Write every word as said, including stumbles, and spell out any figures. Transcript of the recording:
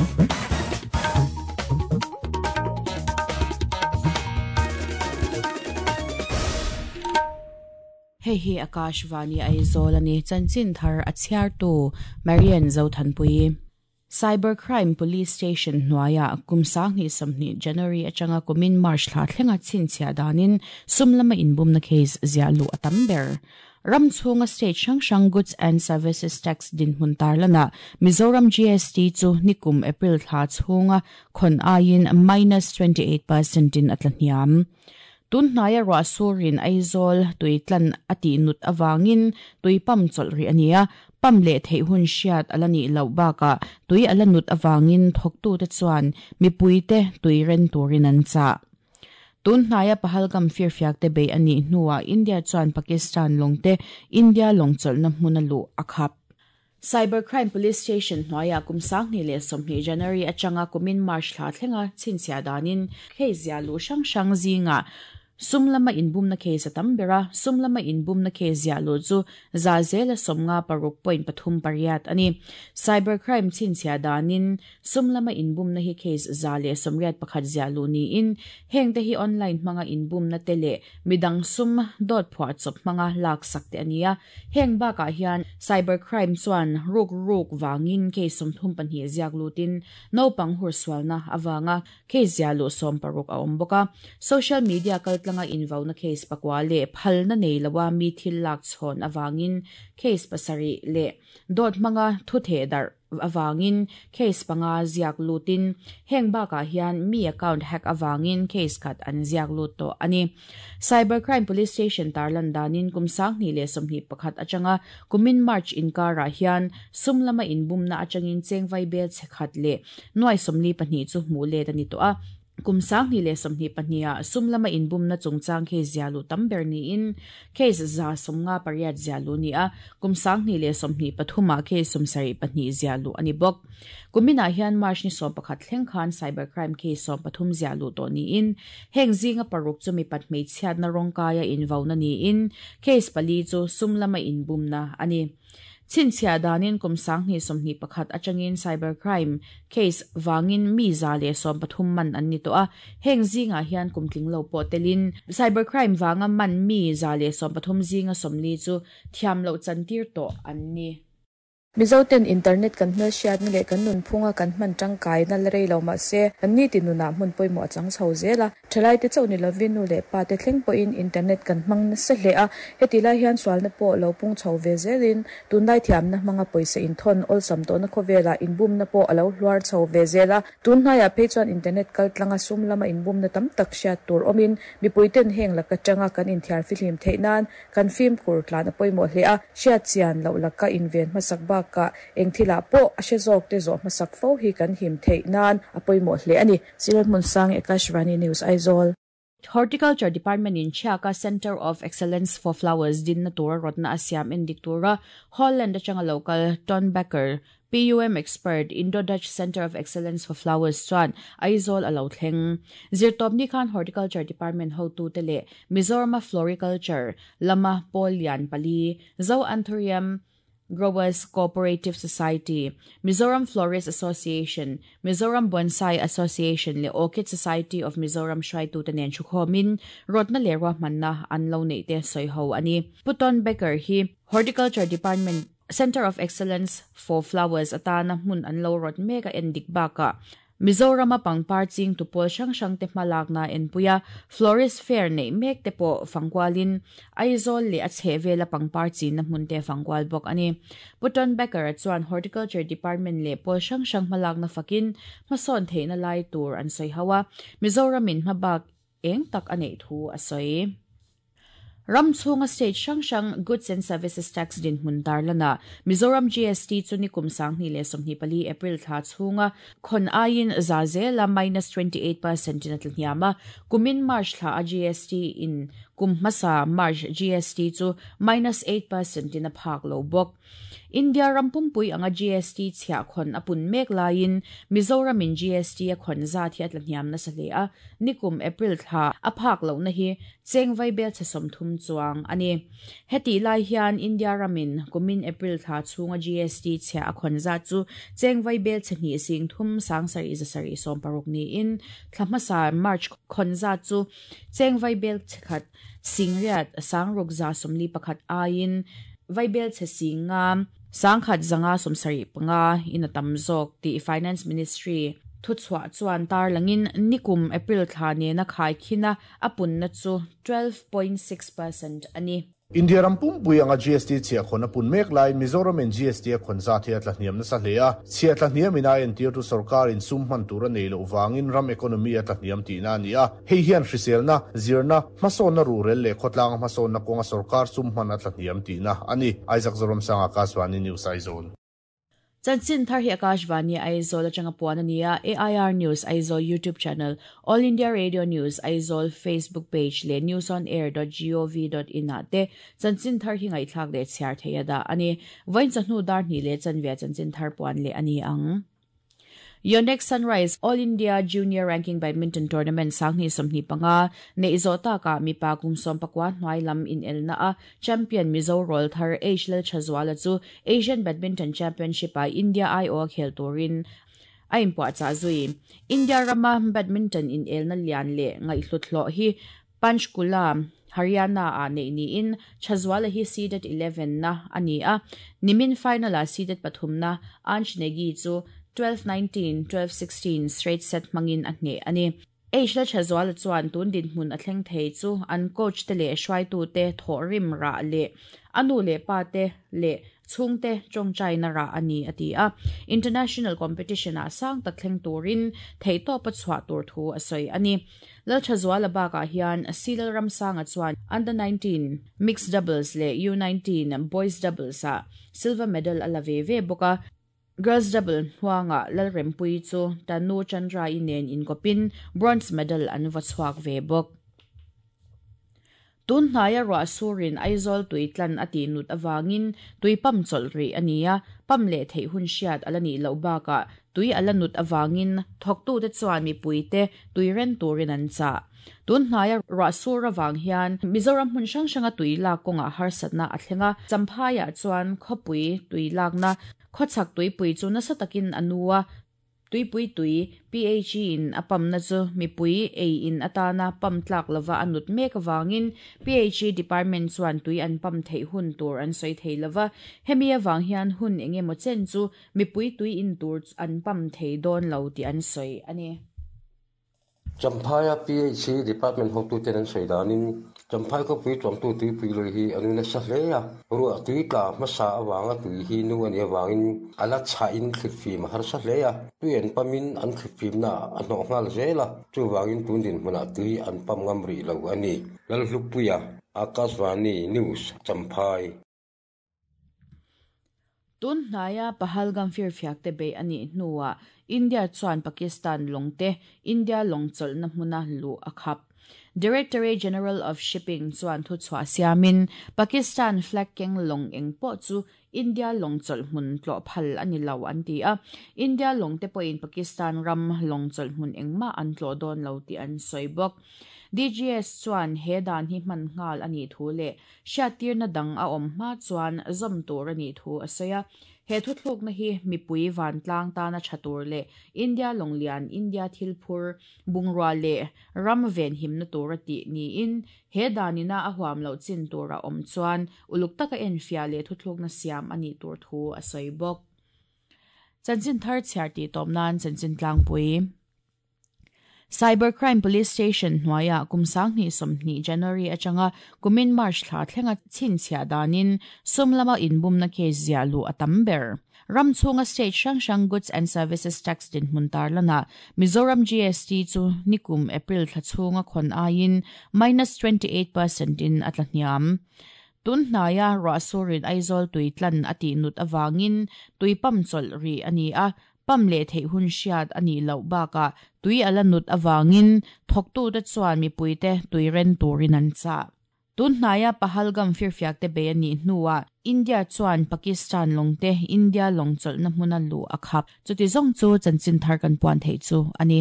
Hei hi Akashvani Aizawl ani chanchin thar a chhiartu Marian Zothanpui. Cybercrime Police Station hnuaia kum sanghnih sawmhnih January atanga kumin March thla thlenga chhinchhiah danin sum lama inbumna case ziah luh a tam ber. Ram chhunga state hrang hrang Goods and Services Tax dinhmun tarlana Mizoram G S T chu nikum April thla chhunga khon aiin minus twenty-eight percent in a tla hniam. Tun hnai a ruah surin Aizawl tuitlan ati nut awangin tuipam chawlh ri ania pam leh theih hun hriat ala nih loh bakah tui ala nut awangin thawktu te chuan mipui te tui ren turin an chah. Tun hnai a Pahalgam firfiak te bei ani hnuah India chuan Pakistan lawng te India lawng chawlhna hmun a luh a khap. Cybercrime Police Station hnuaia kum sanghnih leh sawmhnih January atanga kumin March thla thlenga chhinchhiah danin case ziah luh hrang hrang zingah sum lama inbumna case a tam bera sum lama inbumna case ziah luh chu za zela sawmnga paruk point pathum pariat ani. Cybercrime chhinchhiah danin sum lama inbumna hi case za leh sawmriat pakhat ziah luh niin heng te hi online hmanga inbumna te leh midang sum dawt phuah chawp hmanga lak sak te ania. Heng bakah hian cybercrime chuan ruk ruk wangin case sawmthum pahnih ziak lutin naupang hur sualna awanga case ziah luh sawm paruk a awm bawk a. Social media kal tlanga invauna case pakwa le phalna nei lawa mi thil lak chhawn awangin case pasari le dawt hmanga thu the dar awangin case panga ziak lutin heng bakah hian mi account hack awangin case khat an ziak lut to ani. Cybercrime Police Station tarlan danin kum sanghnih leh sawmhnih pakhat atanga kumin March inkara hian sum lama inbumna atangin chengvai bel chekhat le nuai sawmli pahnih chu hmuh let ani to a. Kum sanghnih leh sawmhnih pahniha sum lama inbumna chungchang case ziah luh tam ber niin case za sawmnga pariat ziah luh ni a. Kum sanghnih leh sawmhnih pathumah case sawmsarih pahnih ziah luh ani bawk. Kuminah hian March ni sawm pakhat thleng khan cybercrime case sawm pathum ziah luh tawh niin heng zinga paruk chu mi pat hmeichhiatna rawngkaia invauna niin case pali chu sum lama inbumna ani. Chhinchhiah danin kum sanghnih sawmhnih pakhat atangin cybercrime case wangin mi za leh sawm pathum man an ni to a. Heng zingah hian kum tling lo pawh telin cybercrime wanga man mi za leh sawm pathum zinga sawmli chu thiam loh chantir tawh an ni. Mizoten internet kan hmel hriatna leh kan nun phunga kan hman tangkai na la rei lo mahse an ni ti nunah hmun pawimawh a chang chho zel a. Thalai te chauh ni lovin nu leh pa te thleng pawhin internet kan hmang nasa hle a. Heti lai hian sualna pawh lo pung chho ve zelin tunlai thiamna hmanga pawisa inthawn awlsam tawhna khawvela inbumna pawh a lo hluar chho ve zel a. Tunhnaiah phei chuan internet kal tlanga sum lama inbumna tam tak hriat tur awmin mipuiten heng laka tanga kan inthiar fihlim theih nan kan fimkhur tlan a pawimawh hle a. Hriat chian loh laka inven hmasak bak ka engthila pawh a hre zawk te zawh hmasak fo hi kan him theih nan a pawimawh hle ani. Silat Hmunsang, Akashvani News, Aizawl. Horticulture Department in Chiaka Center of Excellence for Flowers din na tura rotna asiam indiktura Holland atanga local Ton Becker P U M expert Indo-Dutch Center of Excellence for Flowers chuan Aizawl alo thleng. Zirtawp ni khan Horticulture Department hotu te leh Mizoram Floriculture lama Polian pali Zo Anthurium Growers Cooperative Society, Mizoram Florist Association, Mizoram Bonsai Association le Orchid Society of Mizoram hruaitu te nen thukhomin rotna leh ruahmanna an lo nei te sawi ho ani. Puton Becker hi Horticulture Department Center of Excellence for Flowers atana hmun an lo rot mek a endik baka Mizorama pangpar ching tu pawl hrang hrang te hmalakna enpuia Florist Fair nei mek te pawh fangkualin Aizawl leh a chhehvela pangpar chinna hmun te fangkual bawk ani. Puton Becker chuan Horticulture Department leh pawl hrang hrang hmalakna fakin hmasawn theihna lai tur an sawi ho a. Mizoramin hmabak eng tak a neih thu a sawi. Ram chhunga state hrang hrang Goods and Services Tax din hmun tarlana Mizoram G S T chu nikum sanghnih leh sawmhnih pali April thla chhunga khon aiin za zela minus twenty-eight percent in a tla hniam a. Kumin March thla a G S T in Kum hmasa March G S T chu minus eight percent in a phak lo bawk. India rampumpui anga G S T chhia khon apun mek laiin Mizoram in G S T a khon za thi atla hniam na sale a nikum April thla a phak lo na hi chengvai bel chasom thum chuang ani. Heti lai hian India ramin kumin April thla chunga G S T chhia a khon za chu chengvai bel chhani sing thum sang sari za sari som paruk ni in thlamasa March khon za chu chengvai bel chkhat singriat sangruk za somli pakhat ain vaibel che singa sangkhat zanga somsari panga in atamzok ti Finance Ministry thuchwa chuan tar langin nikum April thla ne na khai khina apun na chu twelve point six percent ani. India rampum anga G S T chhia khon apun mek lai Mizoram in G S T khon za thia tla hniam na sa hlea chhia tla hniam ina en tir tu sarkar in sum man tur nei lo wangin ram economy atla hniam ti na ni a hei hian hriselna zirna hmasawn na rural le khotlang hmasawn na kawnga sarkar sum man atla hniam ti na ani. Isaac Zoram Sanga Akashvani News Aizawl. Chanchin thar hi Akashvani Aizawl atanga puan ania A I R News Aizawl YouTube channel, All India Radio News Aizawl Facebook page le news on air dot gov dot in ate chanchin thar hi ngai thlak le chhiar theia da ani vain chahnu dar ni le chanvia chanchin thar puan le ani ang. Yonex Sunrise All India Junior Ranking Badminton Tournament sangni somni panga ne izota ka mipa kumsom pakwa hnuai lam in elna a champion Mizo Roll thar H L Chazwala chu Asian Badminton Championship a India I O khel turin a inpua cha zui. India rama badminton in elna lian le ngai hluthlo hi Panchkula Haryana a nei ni in Chazwala hi seeded eleven na ani a nimin final a seeded pathum na Ansh Negi chu twelve nineteen, twelve sixteen straight set mangin at ne ani. H L Chazwala chuan tun din hmun a thleng thei chu an coach te le hruai tu te thaw rim ra le anu le pa te le chhung te tawngtai na ra ani ati a international competition a sang tak thleng turin thei to pa chhuah tur thu a sawi ani. Lal Chazwala baka hian Silal Ramsanga chuan under nineteen mixed doubles le U nineteen boys doubles a silver medal ala ve ve boka. Girls double huanga Lalrempui chu Tanu Chandra inen in kopin bronze medal an vachhuak ve bok. Tun hnaya ro asurin Aizawl tuitlan ati nut awangin tuipam cholri ania pam le thei hun hriat alani lo baka tui ala nut awangin thoktu te chuan mi puite tuiren turin an cha. Tun hnaya ro asur awang hian Mizoram hmun hrang hranga tui lak kawnga harsatna a thlenga champhaya chuan khawpui tui lakna khawchhak tuipui chu nasa takin anua tuipui tui P H E in apam na chu mipui ei in atana pam tlak lova anut mek awangin P H E department chuan tui an pam thei hun tur an sawi thei lova hemi awang hian hun engemaw chen chu mipui tui in tur an pam thei dawn lo ti an sawi ani. Champhaya P H E department hotu ten an sawi danin Champhai ko pui tuang tu tui pui loi hi anu na sa hle a ru tui tla hmasa awanga tui hi nu ani awangin ala cha in thlifim har sa hle a tui an pamin an thlifim na a hnawh nghal zela chu wangin tun din hmuna tui an pam ngam ri lo ani. Lalhlupuia Akashvani News Champhai. Tun hnaya Pahalgam firfiak te bei ani hnuwa India chuan Pakistan longte India longchol na hmuna lu akhap. Directorate General of Shipping chuan thu chhuah siamin Pakistan flag keng long eng pawh chu India longchawlh hmun tlawh phal ani lo an ti a India long te pawhin Pakistan ram longchawlh hmun engmah an tlawh dawn lo tih an sawi bawk. D G S chuan he dan hi hman nghal ani thu le hriattirna dang a awm hma chuan zawm tur ani thu a sawi a he thu thluk na hi mipui van tlang tana thatur le India longlian India thilphur bungrua le ram ven himna tur ati ni in he danina a huam lo chin tura awm chuan uluk taka en fia le thu thluk na siam ani tur thu a sawi bawk. Chanchin thar chhiar ti tawm nan chanchin tlangpui. Cybercrime Police Station hnuaia kumsang ni somni January atanga kumin March thla thlenga chin chhia danin sumlama inbumna case zia lu atam ber. Ramchunga state hrang hrang goods and services tax din hmun tarlana Mizoram G S T chu nikum April thla chhunga khon aiin minus twenty-eight percent in atla hniam. Tun hnaya ro asurin Aizawl tuitlan ati nut awangin tuipam chawlh ri ani a pam le thei hun hriat ani lo baka tui ala nut awangin thoktu te chuan mipui te tuiren turin an cha. Tun hnaiah Pahalgam firfiak te bei anih hnuah India chuan Pakistan lawng te India lawng chawlhna hmuna luh a khap. Chuti zawng chu chanchin thar kan puan theih chu a ni.